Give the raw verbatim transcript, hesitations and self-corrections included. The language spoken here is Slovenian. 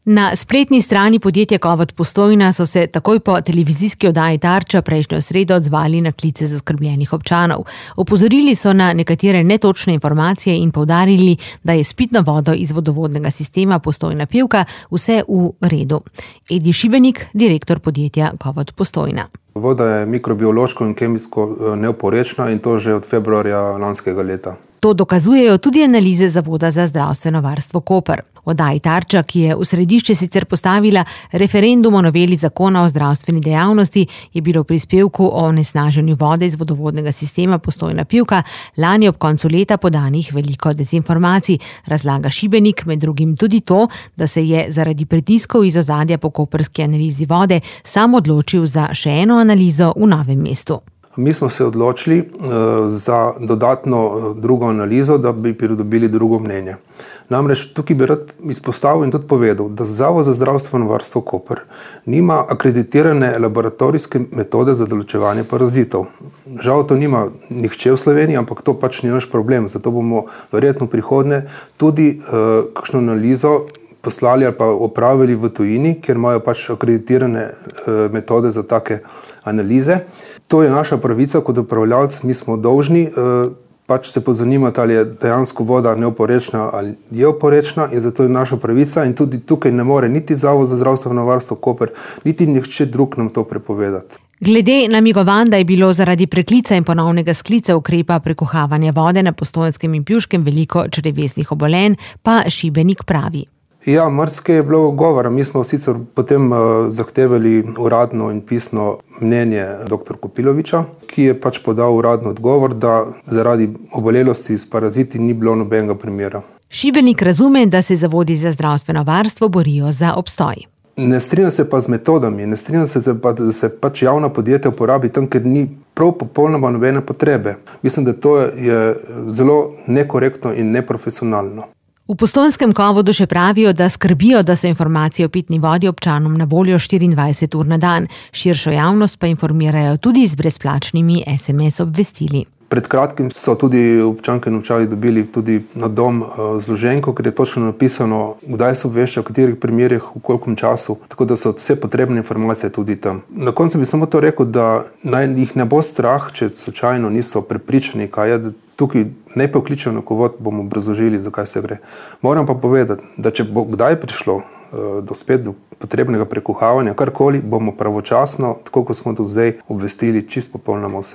Na spletni strani podjetja Kovod Postojna so se takoj po televizijski oddaji Tarča prejšnjo sredo odzvali na klice zaskrbljenih občanov. Opozorili so na nekatere netočne informacije in poudarili, da je s pitno vodo iz vodovodnega sistema Postojna Pivka vse v redu. Edi Šibenik, direktor podjetja Kovod Postojna. Voda je mikrobiološko in kemijsko neoporečna in to že od februarja lanskega leta. To dokazujejo tudi analize Zavoda za zdravstveno varstvo Koper. Oddaji Tarča, ki je v središče sicer postavila referendum o noveli zakona o zdravstveni dejavnosti, je bilo v prispevku o onesnaženju vode iz vodovodnega sistema Postojna Pivka lani ob koncu leta podanih veliko dezinformacij, razlaga Šibenik, med drugim tudi to, da se je zaradi pritiskov iz ozadja po koprski analizi vode sam odločil za še eno analizo v Novem mestu. Mi smo se odločili uh, za dodatno uh, drugo analizo, da bi pridobili drugo mnenje. Namreč tukaj bi rad izpostavil in tudi povedal, da Zavod za zdravstveno varstvo Koper nima akreditirane laboratorijske metode za določevanje parazitov. Žal to nima nihče v Sloveniji, ampak to pač ni naš problem. Zato bomo verjetno v prihodnje tudi uh, kakšno analizo poslali ali pa opravili v tujini, kjer imajo pač akreditirane uh, metode za take analize. To je naša pravica kot upravljavec, mi smo dolžni uh, pač se pozanimati, ali je dejansko voda neoporečna ali je oporečna, in zato je naša pravica in tudi tukaj ne more niti Zavod za zdravstveno varstvo Koper, niti nihče drug nam to prepovedati. Glede namigovanj, da je bilo zaradi preklica in ponovnega sklica ukrepa prekuhavanja vode na Postojnskem in Pivškem veliko črevesnih obolenj, pa Šibenik pravi. Ja, marsikaj je bilo govora. Mi smo sicer potem uh, zahtevali uradno in pisno mnenje doktor Kopiloviča, ki je pač podal uradno odgovor, da zaradi obolelosti s paraziti ni bilo nobenega primera. Šibenik razume, da se zavodi za zdravstveno varstvo borijo za obstoj. Ne strinjam se pa z metodami, ne strinjam se pa, da se pač javna podjetja uporabi tam, ker ni prav popolnoma nobene potrebe. Mislim, da to je zelo nekorektno in neprofesionalno. V Postojnskem Kovodu še pravijo, da skrbijo, da so informacije o pitni vodi občanom na voljo štiriindvajset ur na dan. Širšo javnost pa informirajo tudi z brezplačnimi es em es obvestili. Pred kratkim so tudi občanke in občani dobili tudi na dom zloženko, ker je točno napisano, kdaj se obvešča, v katerih primerih, v kolikom času, tako da so vse potrebne informacije tudi tam. Na koncu bi samo to rekel, da naj jih ne bo strah, če slučajno niso prepričani, kaj je, da tukaj ne pokličejo na Kovod, bomo obrazložili, zakaj se gre. Moram pa povedati, da če bo kdaj prišlo do spet do potrebnega prekuhavanja, karkoli, bomo pravočasno, tako kot smo do zdaj, obvestili čisto popolnoma vse.